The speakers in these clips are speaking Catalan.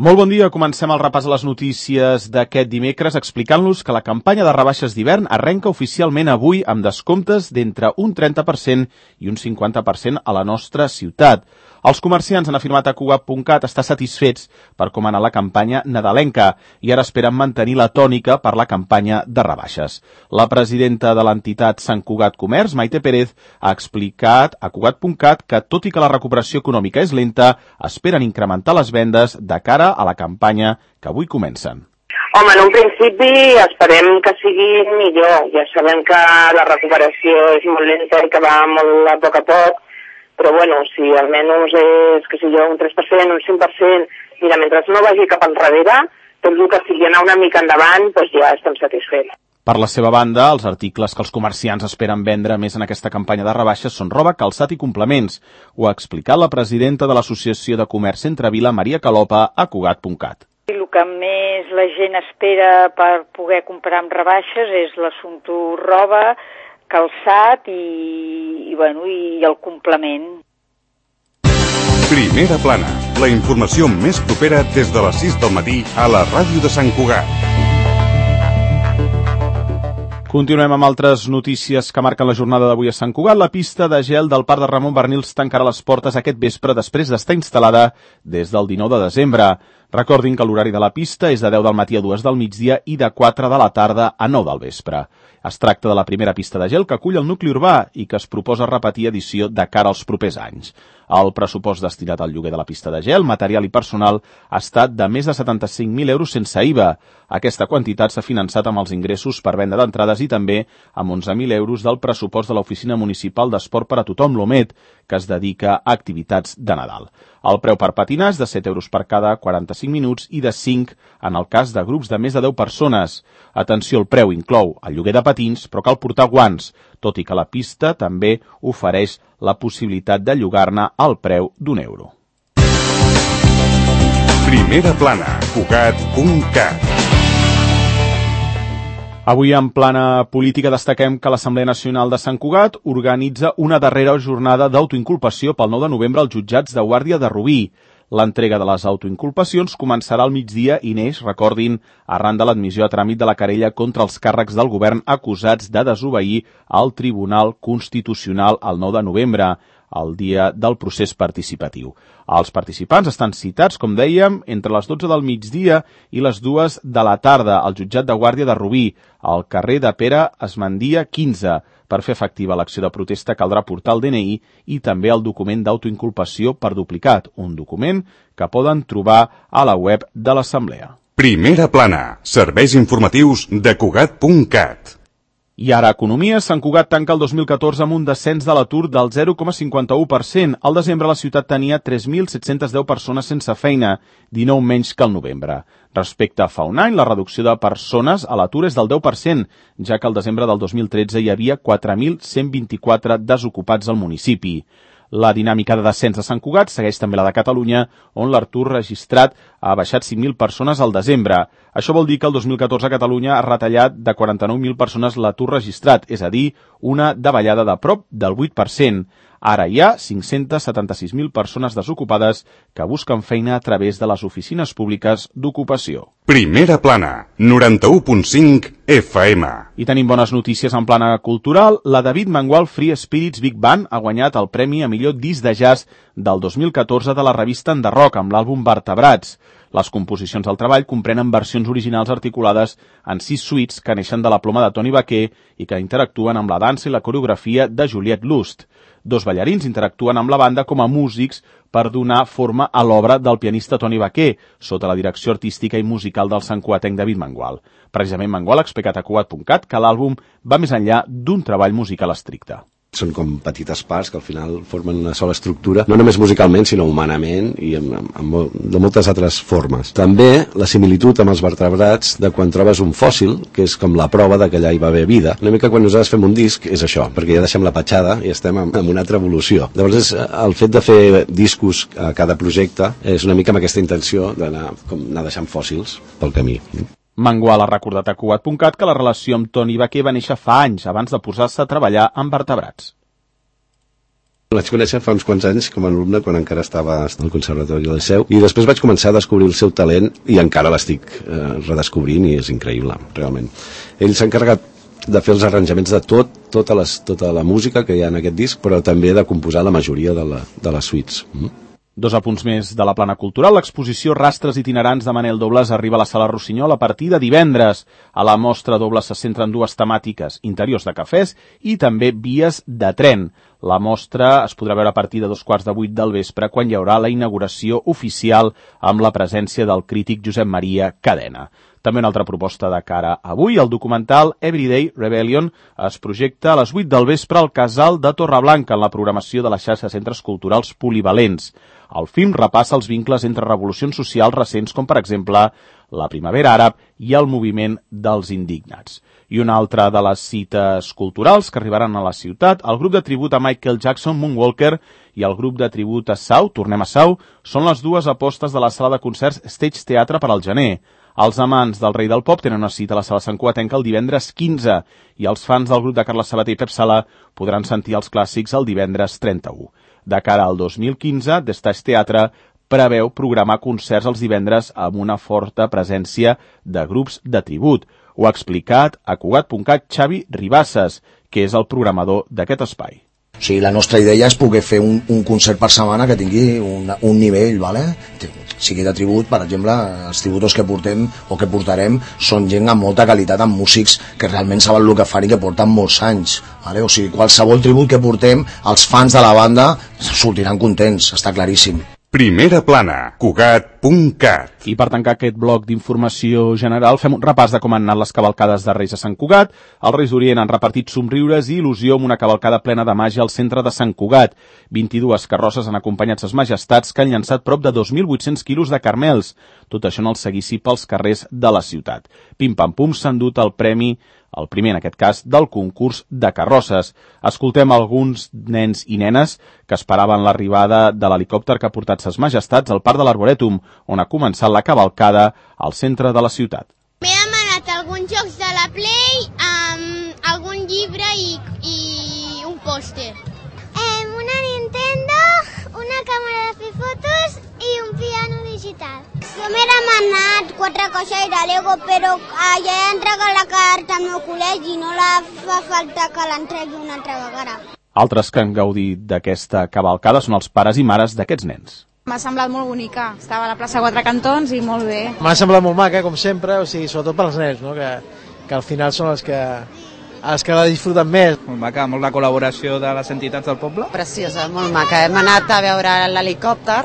Molt bon dia, comencem el repàs a les notícies d'aquest dimecres explicant-los que la campanya de rebaixes d'hivern arrenca oficialment avui amb descomptes d'entre un 30% i un 50% a la nostra ciutat. Els comerciants han afirmat a Cugat.cat estar satisfets per com ha anat la campanya nadalenca i ara esperen mantenir la tònica per la campanya de rebaixes. La presidenta de l'entitat Sant Cugat Comerç, Maite Pérez, ha explicat a Cugat.cat que, tot i que la recuperació econòmica és lenta, esperen incrementar les vendes de cara a la campanya que avui comencen. Home, en un principi esperem que sigui millor. Ja sabem que la recuperació és molt lenta i que va molt a poc, però bueno, si almenys és, que sé jo, un 3%, un 5%, mira, mentre no vagi cap enrere, tot el que sigui anar una mica endavant, doncs ja estem satisfets. Per la seva banda, els articles que els comerciants esperen vendre més en aquesta campanya de rebaixes són roba, calçat i complements. Ho ha explicat la presidenta de l'Associació de Comerç Centrevila, Maria Calopa, a Cugat.cat. El que més la gent espera per poder comprar amb rebaixes és l'assumpte roba, calçat i el complement. Primera plana, la informació més propera des de les 6 del matí a la ràdio de Sant Cugat. Continuem amb altres notícies que marquen la jornada d'avui a Sant Cugat. La pista de gel del Parc de Ramon Barnils tancarà les portes aquest vespre després d'estar instal·lada des del 19 de desembre. Recordin que l'horari de la pista és de 10 del matí a 2 del migdia i de 4 de la tarda a 9 del vespre. Es tracta de la primera pista de gel que acull el nucli urbà i que es proposa repetir edició de cara als propers anys. El pressupost destinat al lloguer de la pista de gel, material i personal, ha estat de més de 75.000 euros sense IVA. Aquesta quantitat s'ha finançat amb els ingressos per venda d'entrades i també amb 11.000 euros del pressupost de l'Oficina Municipal d'Esport per a Tothom, l'OMET, que es dedica a activitats de Nadal. El preu per patinar és de 7 euros per cada 45 minuts i de 5 en el cas de grups de més de 10 persones. Atenció, el preu inclou el lloguer de patins, però cal portar guants, tot i que la pista també ofereix la possibilitat de llogar-ne al preu d'€1. Primera plana, Cugat.cat. Avui en plana política destaquem que l'Assemblea Nacional de Sant Cugat organitza una darrera jornada d'autoinculpació pel 9 de novembre als jutjats de Guàrdia de Rubí. L'entrega de les autoinculpacions començarà al migdia i neix, recordin, arran de l'admissió a tràmit de la querella contra els càrrecs del govern acusats de desobeir al Tribunal Constitucional el 9 de novembre, el dia del procés participatiu. Els participants estan citats, com dèiem, entre les 12 del migdia i les 2 de la tarda al jutjat de Guàrdia de Rubí, al carrer de Pere Esmandia 15. Per fer efectiva l'acció de protesta caldrà portar el DNI i també el document d'autoinculpació per duplicat, un document que poden trobar a la web de l'Assemblea. Primera plana, serveis informatius de Cugat.cat. I ara, economia. Sant Cugat tanca el 2014 amb un descens de l'atur del 0,51%. Al desembre la ciutat tenia 3.710 persones sense feina, 19 menys que al novembre. Respecte a fa un any, la reducció de persones a l'atur és del 10%, ja que al desembre del 2013 hi havia 4.124 desocupats al municipi. La dinàmica de descens de Sant Cugat segueix també la de Catalunya, on l'atur registrat ha baixat 5.000 persones al desembre. Això vol dir que el 2014 a Catalunya ha retallat de 49.000 persones l'atur registrat, és a dir, una davallada de prop del 8%. Ara hi ha 576.000 persones desocupades que busquen feina a través de les oficines públiques d'ocupació. Primera plana, 91.5 FM. I tenim bones notícies en plana cultural. La David Mangual Free Spirits Big Band ha guanyat el premi a millor disc de jazz del 2014 de la revista Enderroc amb l'àlbum Vertebrats. Les composicions del treball comprenen versions originals articulades en 6 suites que neixen de la ploma de Toni Baquer i que interactuen amb la dansa i la coreografia de Juliette Lust. 2 ballarins interactuen amb la banda com a músics per donar forma a l'obra del pianista Toni Baquer, sota la direcció artística i musical del santcugatenc David Mangual. Precisament Mangual ha explicat a Cugat.cat que l'àlbum va més enllà d'un treball musical estricte. Són com petites parts que al final formen una sola estructura, no només musicalment, sinó humanament i de moltes altres formes. També la similitud amb els vertebrats de quan trobes un fòssil, que és com la prova de que allà hi va haver vida. Una mica quan nosaltres fem un disc és això, perquè ja deixem la petjada i estem en una altra evolució. Llavors el fet de fer discos a cada projecte és una mica amb aquesta intenció d'anar deixant fòssils pel camí. Mangual ha recordat a Cugat.cat que la relació amb Toni Baquer va néixer fa anys, abans de posar-se a treballar amb vertebrats. Vaig conèixer fa uns quants anys com a alumne quan encara estava al Conservatori del Liceu i després vaig començar a descobrir el seu talent i encara l'estic redescobrint i és increïble, realment. Ell s'ha encarregat de fer els arranjaments de tota la música que hi ha en aquest disc, però també de composar la majoria de les suites. Dos apunts més de la plana cultural. L'exposició Rastres itinerants de Manel Dobles arriba a la Sala Rossinyol a partir de divendres. A la mostra Dobles se centren dues temàtiques, interiors de cafès i també vies de tren. La mostra es podrà veure a partir de 7:15 del vespre, quan hi haurà la inauguració oficial amb la presència del crític Josep Maria Cadena. També una altra proposta de cara a avui, el documental Everyday Rebellion es projecta a les 8 del vespre al Casal de Torreblanca en la programació de la xarxa de centres culturals polivalents. El film repassa els vincles entre revolucions socials recents com, per exemple, la Primavera Àrab i el moviment dels indignats. I una altra de les cites culturals que arribaran a la ciutat, el grup de tribut a Michael Jackson, Moonwalker, i el grup de tribut a Sau, Tornem a Sau, són les dues apostes de la sala de concerts Stage Teatre per al gener. Els amants del rei del pop tenen una cita a la sala santcugatenca el divendres 15 i els fans del grup de Carles Sabater i Pep Sala podran sentir els clàssics el divendres 31. De cara al 2015, The Stage Teatre preveu programar concerts els divendres amb una forta presència de grups de tribut. Ho ha explicat a Cugat.cat Xavi Ribasses, que és el programador d'aquest espai. O sigui, la nostra idea és poder fer un concert per setmana que tingui un nivell, ¿vale? Sigui de tribut, per exemple, els tributos que portem o que portarem són gent amb molta qualitat, amb músics que realment saben el que fan i que porten molts anys, ¿vale? O sigui, qualsevol tribut que portem, els fans de la banda sortiran contents, està claríssim. Primera plana, Cugat.cat. I per tancar aquest bloc d'informació general, fem un repàs de com han anat les cavalcades de Reis a Sant Cugat. Els Reis d'Orient han repartit somriures i il·lusió amb una cavalcada plena de màgia al centre de Sant Cugat. 22 carrosses han acompanyat ses majestats, que han llançat prop de 2.800 quilos de carmels. Tot això en el seguici pels carrers de la ciutat. Pim-pam-pum s'han dut el premi, el primer en aquest cas, del concurs de carrosses. Escoltem alguns nens i nenes que esperaven l'arribada de l'helicòpter que ha portat ses majestats al Parc de l'Arborètum, on ha començat la cavalcada al centre de la ciutat. M'he demanat alguns jocs de la Play, algun llibre i un pòster. Una Nintendo, una càmera de fer fotos i un piano digital. Jo m'he demanat 4 caixes de Lego, però ja he entregat la carta al meu col·legi i no la fa falta que l'entregui una altra vegada. Altres que han gaudit d'aquesta cavalcada són els pares i mares d'aquests nens. M'ha semblat molt bonica, estava a la plaça Quatre Cantons i molt bé. M'ha semblat molt maca, com sempre, o sigui, sobretot pels nens, no? que al final són els que la disfruten més. Molt maca, molt la col·laboració de les entitats del poble. Preciosa, molt maca. Hem anat a veure l'helicòpter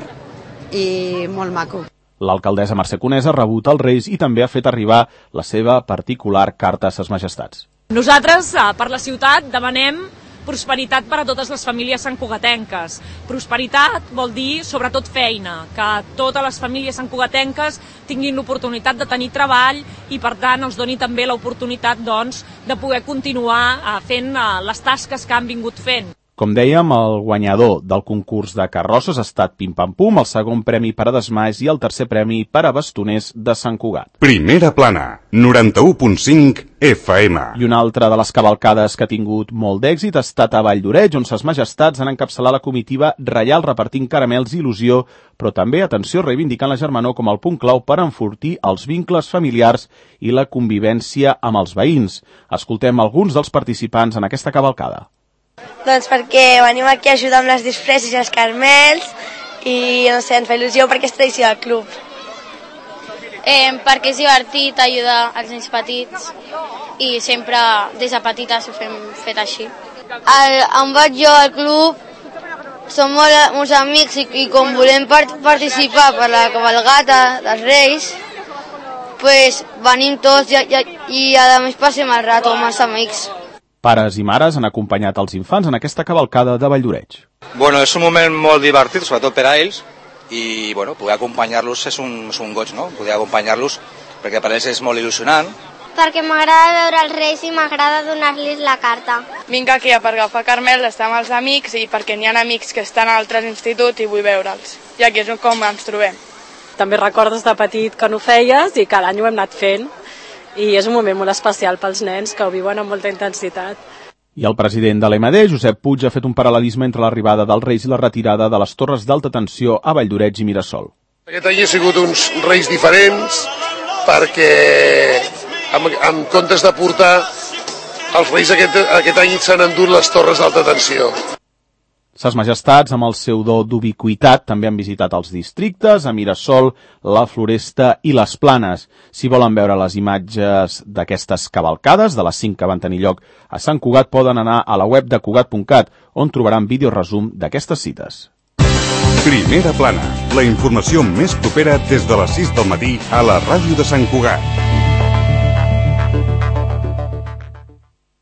i molt maco. L'alcaldessa Mercè Conesa ha rebut els Reis i també ha fet arribar la seva particular carta a ses majestats. Nosaltres, per la ciutat, demanem prosperitat per a totes les famílies santcugatenques. Prosperitat vol dir, sobretot, feina, que totes les famílies santcugatenques tinguin l'oportunitat de tenir treball i, per tant, els doni també l'oportunitat, doncs, de poder continuar fent les tasques que han vingut fent. Com dèiem, el guanyador del concurs de carrosses ha estat Pim Pam Pum, el segon premi per a desmais i el tercer premi per a bastoners de Sant Cugat. Primera plana, 91.5 FM. I una altra de les cavalcades que ha tingut molt d'èxit ha estat a Vall d'Oreig, on ses majestats han encapçalat la comitiva reial repartint caramels i il·lusió, però també, atenció, reivindicant la germanor com el punt clau per enfortir els vincles familiars i la convivència amb els veïns. Escoltem alguns dels participants en aquesta cavalcada. Doncs perquè venim aquí a ajudar amb les disfresses i els carmels i, no sé, ens fa il·lusió perquè és tradició del club. Perquè és divertit ajudar els nens petits i sempre des de petites ho fem fet així. On vaig jo al club, som molts amics i com volem participar per la cavalgata dels Reis, pues venim tots i a més passem el rato amb els amics. Pares i mares han acompanyat els infants en aquesta cavalcada de Vall d'Oreig. Bueno, és un moment molt divertit, sobretot per a ells, i bueno, poder acompanyar-los és un goig, no? Poder acompanyar-los, perquè per a ells és molt il·lusionant. Perquè m'agrada veure els Reis i m'agrada donar-los la carta. Vinc aquí per agafar carmel, estar amb els amics i perquè n'hi ha amics que estan a altres instituts i vull veure'ls. I aquí és com ens trobem. També recordes de petit que no ho feies i cada any ho hem anat fent. I és un moment molt especial pels nens que ho viuen amb molta intensitat. I el president de l'EMD, Josep Puig, ha fet un paral·lelisme entre l'arribada dels Reis i la retirada de les torres d'alta tensió a Valldoreix i Mirasol. Aquest any ha sigut uns Reis diferents perquè en comptes de portar els Reis aquest any s'han endut les torres d'alta tensió. Ses Majestats, amb el seu do d'ubiquitat, també han visitat els districtes, a Mirasol, la Floresta i les Planes. Si volen veure les imatges d'aquestes cavalcades, de les 5 que van tenir lloc a Sant Cugat, poden anar a la web de Cugat.cat, on trobaran vídeoresum d'aquestes cites. Primera Plana, la informació més propera des de les 6 del matí a la ràdio de Sant Cugat.